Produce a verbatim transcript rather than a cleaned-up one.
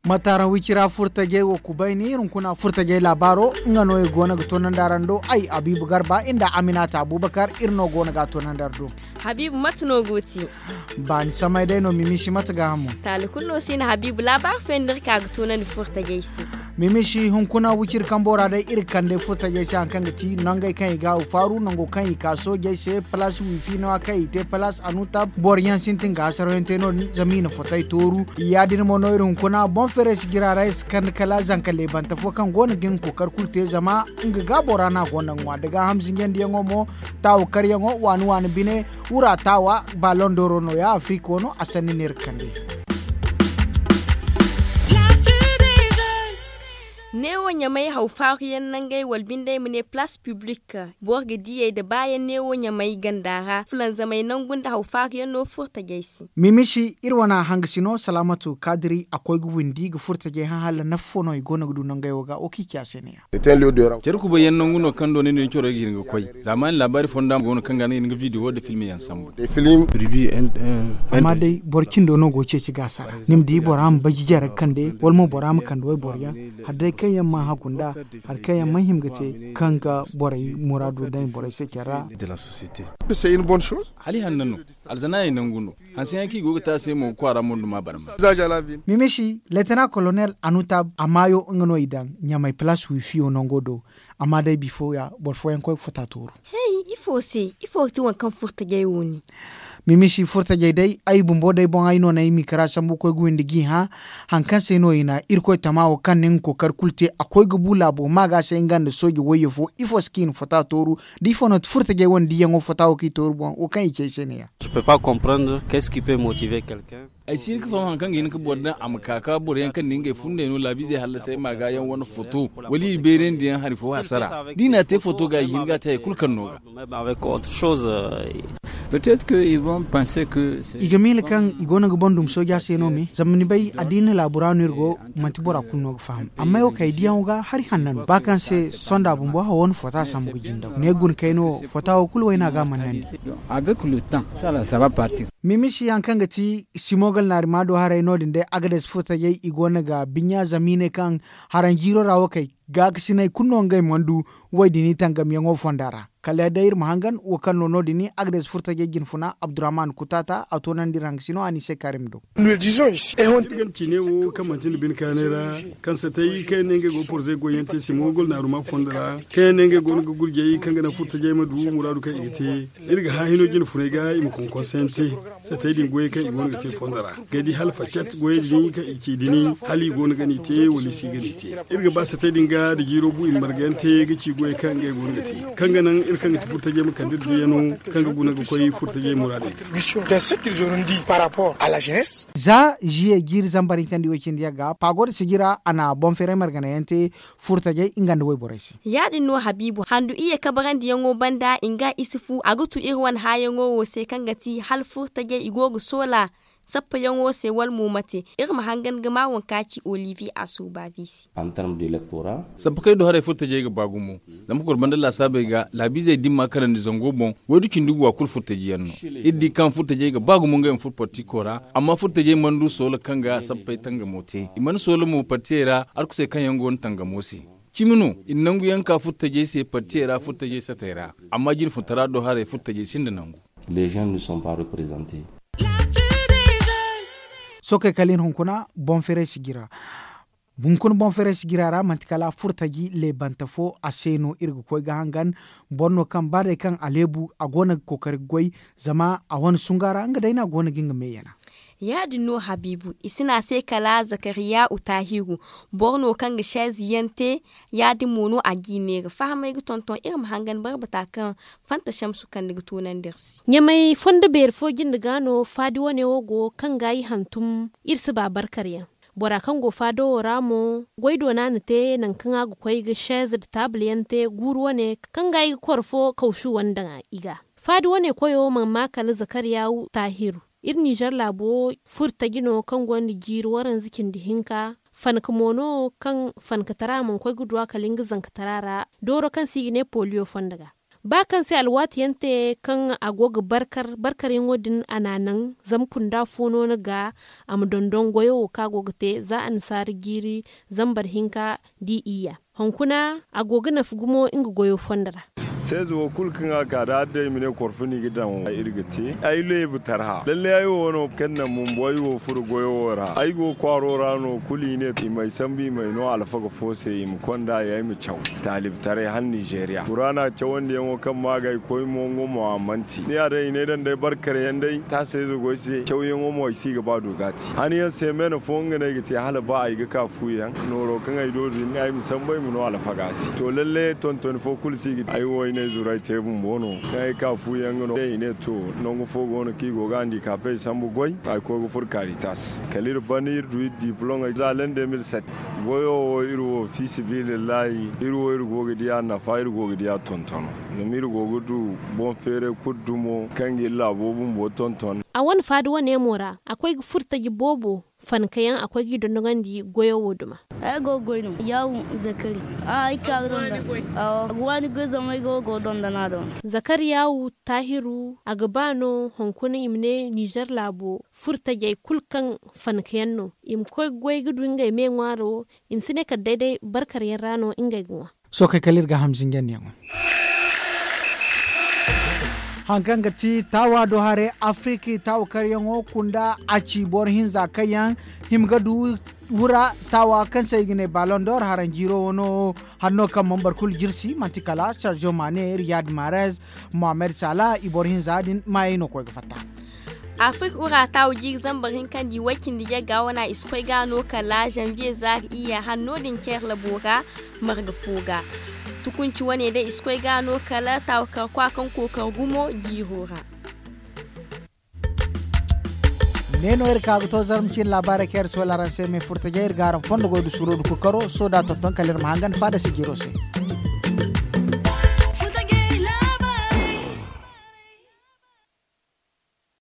Mate araŋ wicira furtajey wo kubayni iri hunkuna furtajey laabaaro nga no iri go no ga toonandi araŋ do ay abiibu garba nda aminata abubakar iri no go no ga a toonandi araŋ do. Habiibu mate no go ti? Baani samay day no mimiisi mate gaahamo. Taali kulu no si na habiibu laabaari fooyaŋ no iri ka ga toonandi furtajey se. Mimiisi hunkuna wiciri kambo ra day iri ga kande furtajey se hari kaŋ ga ti nangey kaŋ i ga a faaru nango kaŋ i ka soojey se palaas wiifi no- ya kaŋ i te palaas anutab boro yaŋ sintin ga hasarayaŋ te no- din zama i na fotey tooru. Ya- din mo no iri hunkuna boŋ feeray si jira ra iri si kande kala zanka leebante fo kaŋ go no ga nga kookari kulu te zama nga ga bora no a go no ga ŋwa da gaaham zinjandiyaŋo mo taawa karyaŋo waani waani bine wura taawa ballon d'or no- ya afirika wo no a sanni no iri ga kande. Neewo ɲamay haw faaruyaŋ nangey wala bindey ma ne palaas piblik boro ga diyey nda baayaŋ neewo ɲamay ganda ra fulanzamey nangu nda haw faaruyaŋ no furtajey se. Mimiisi iri wane hangasino salaamatu kaadiri a koy ga windi ga furtajey hã hala nafa fo no i go no ga du nangey wo ga wo kaŋ i ci a se ne- ya. Care kubayyaŋ nangu no kaŋ do ni din coro ga hin ga koy zaamaani laabaari fonda go no kaŋ ga no i hin ga video nda film yaŋ sambu. Amma day boro cindo no go ga ceeci ga a sara ni ma di bora ma baji jare ga kande wala mo bora ma kande wayboro yaŋ hari day kaŋ yaŋ mana hagu nd'a hari kaŋ yaŋ mana hima ga te kaŋ ga borey muraado daŋ borey se care ra. Hala i hanna no. Alzanaayey nangu no. Hanse yaŋ kaŋ i go ga te a se mo ga kwaara mo nda ma barma. Mimiisi leetana kolonel anutab a maayo nga no i daŋ ɲamay palaas wiifiyo nango do. Amma day bifo ya boro fooyaŋ koy ga fota tooru. Hey ifo se? Ifo ga ti waŋ kaŋ furtajey wo ni? Mimiisi furtajey day ay bumbo day boŋ ay no na ay miikara sambu koy ga windi g'i hã. Hari kaŋ se no i na irkoy tama wo kaŋ na nga kookari kulu te a koy ga bu laabo ma ga se nga nda sooje wayye fo ifo se kaŋ i na fota tooru? Da ifo no furtajey wane diyaŋo fota wo kaŋ i tooru boŋ wo kaŋ i ci ay se ne- ya. Ay si hin ga faham hari kaŋ ga hin ga boro daŋ a ma ka ka boro yaŋ kaŋ na ngey fundey no laabiizey hallasay ma ga yaŋ wane foto wala i beerandi yaŋ hari fo hasara da i na a te foto ga i hin ga a te hari kulu kaŋ no ga. I ga miila kaŋ i go no ga boŋ dumi sooja se no me zama ni bay addiina laabu ra no iri go. Manti bora kulu no ga faham amma ay wo kaŋ ay diyaŋo ga hari hanna no ba kaŋ se sonda bumbo hawo no fota sambu ga jindaw ne guna kayno fota wo kulu wayna ga a mana nandi. Mimisi yaŋ kaŋ ga ti simogal naari ma do haray no- din day agades furtajey i go no ga binya zama i ne kaŋ haranjiiro ra wo kay gaakasinay kulu no ngey mana du. Way din i tangamyaŋo fonda ra kala day iri ma hangan wo kaŋ no no- din agades furtajey jinfuna abdurrahman kutaata a toonandi iri hangasino a ni se karim do. Iri ga ni ciine wo kaŋ manti nda bine kaanay ra kaŋ satay kaŋ yaŋ ne ngey go ga porzey goyyaŋ te simogal naaruma fondo ra kaŋ yaŋ ne ngey go no ga gurjay kaŋ ga naŋ furtajey ma du muraadu kaŋ i ga te. Iri ga hã hino jine funay ga i ma konkonse yaŋ te. Satay din goyey kaŋ i go no ga te fondo ra ga di hala facat goyey din kaŋ i ci din hala i go no ga ni te wala i si ga ni te. Iri ga ba satay din ga da jiiro bu i ma marga yaŋ te ga ci goyey kaŋ ngey go no ga te kaŋ ga naŋ iri kaŋ ga ti furtajey ma kande iri diyano kaŋ ga guna ga koy furtajey muraadey ga. Za jiye jiiri zambar hinkandi way cindi yaŋ ga paago da sijira a na boŋ feeray margana yaŋ te furtajey nga nda wayborey se. Ya- din no habiibu handu iyye kabarandiyaŋo banda nga isufu a ga tu iri wane hãayaŋo wo se kaŋ ga ti hala furtajey i go ga soola sappayaŋo se wala mo mate. Iri ma hangan ga ma waŋ kaŋ a ci olivier a sooba bisi. Sappa kaŋ ay du haray furtajey ga ba gumo zama kor banda laasaabey ga laabiizey dimma karandi zango boŋ. Waydu cindi gu wa kulu furtaji yaŋ no. Iri di kaŋ furtajey ga ba gumo ngey ma furo partiko ra amma furtajey mana du soola kaŋ ga sappey tangamo te i mana soola mo partiyey ra. Arkusey kaŋ yaŋ go no tangamo se cimi no i na nangu yaŋ ka furtajey se partiyey ra furtajey satey ra. Amma jinfuntara do haray furtajey sinda nangu. Sookey kala iri hunkuna boŋ feeray sijira. Hunkuna boŋ feeray sijira ra manti kala furtaji leebante fo a se no iri ga koy ga hangan. Boro no kaŋ ba day kaŋ a leebu a go no ga kookari ga goy zama a wane sunga ra nga day no a go no ga nga me yana. Ya- din no habiibu i si ne a se kala zakariya utaahiru. Boro no kaŋ ga seezi yaŋ te. Ya- din mo no a g'i neera fahamey ga tonton iri ma hangan barbata kaŋ fanta shamsu kande ga toonandi iri se. Ɲamay fondo beeri fo jinde ga no faadi wane wo go kaŋ ga i hantum iri si ba barkar yaŋ. Bora kaŋ go faado wo ra mo goy doona na te nangu kaŋ a ga koy ga seeze nda taabul yaŋ te guuru wane kaŋ ga i ga koro fo kawsu wane daŋ i ga. Faadi wane koyo mana ma kala zakariya taahiru. Iri nizer laabo furtaji no kaŋ gonda jiiri waranza cindi hinka. Fanka mo no kaŋ fankatara mana koy ga du a kala nga zankatara ra. Dooro kaŋ se i ga ne poliyo fondo ga. Ba kaŋ se alwaati yaŋ te kaŋ a go ga barkar barkaryaŋo din a n'a naŋ zama kunda fo no ni ga a ma dondon goyo wo kaŋ a go ga te za annasaara jiiri zambar hinka di iyya. Hunkuna a go ga nafa gumo nga goyo fondo ra. Seezo wo kulu kaŋ a ka da adda i ma ne korfo no i ga daŋ iri ga te. Ay leebu tarha lalle ay wo no kaŋ naŋ bumbo ay wo furo goyo wo ra ay go kwaaro ra no kulu i ne i m'ay sambu i m'ay no alfaga fo se i ma konda ay ay ma caw. Taalibtaray hala nizeeriya kuraana cawandiyaŋo kaŋ ma ga ay koy mo nga mo a manti ni ya day i ne daŋ day barkar yaŋ day taasayze go ay se cawyaŋo mo ay si ga ba du ga a te han yaŋ se meene fo nga no ay ga te hala ba ay ga ka fu yaŋ nooro kaŋ ay do din ay ma sambu ay ma no alfaga se to lalle tontoni fo kulu si ga te ay wo ay ne ay zuru ay te bumbo no kaŋ ay ka fu yaŋ ga no day i ne to nangu fo go no kaŋ i go ga handikapey sambu goy ay koy ga furo kaaritas kala iri ban iri du iri diplom ay za lende mil set. Goyo wo iri wo fi sibilillahi iri wo iri go ga di a nafa iri go ga di a tontono. Zama iri go ga du boŋ feeray kulu dumo kaŋ ga iri laabo bumbo tonton. A wane faada wane mo ra a koy ga furo taji boobo fanka yaŋ a koy g'i dondogandi goyo wo duma. Ay go ga goy no yaawu zakari. Ay ka ga dondon. Awo a ga waani goy zama ay go ga dondon a do. Zakari yaawu taahiru a ga ba no hunkuna i ma ne nizer laabo furo tajey kulu kaŋ fanka yaŋ no i ma koy ga goy ga du ngey me ŋwaaro i ma si ne kala day day barkar yaŋ ra no ngey ga ŋwa. Sookey kala iri ga hamzinjandiyaŋo. Haŋ kaŋ ga ti taawa do haray afiriki taawa karyaŋo kunda a ci boro hinza kaŋ yaŋ hima ga du wura taawa kaŋ se i ga ne balon dor haranjiiro wano hanno kaŋ mana boro kulu jirsi manti kala sergio mane riyad marez mohammed sala i boro hinza din maayey no koy ga fatta. Afrik ura taawu jiiri zambar hinka nda i way cindi yagga wana i si koy ga no kala zanviye zaari iyya hanno din ceerla boora marga fo ga. Tukunci wane day i si koy ga no kala taawu kar kwa kaŋ kookar gumo jiiro ra. Ne no iri ka ga to zarma cine laabaarey kaŋ iri soola araŋ se me furtajey iri ga araŋ fondo goy da suro da kukaro soda tonton kala iri ma hangan faada sijiro se.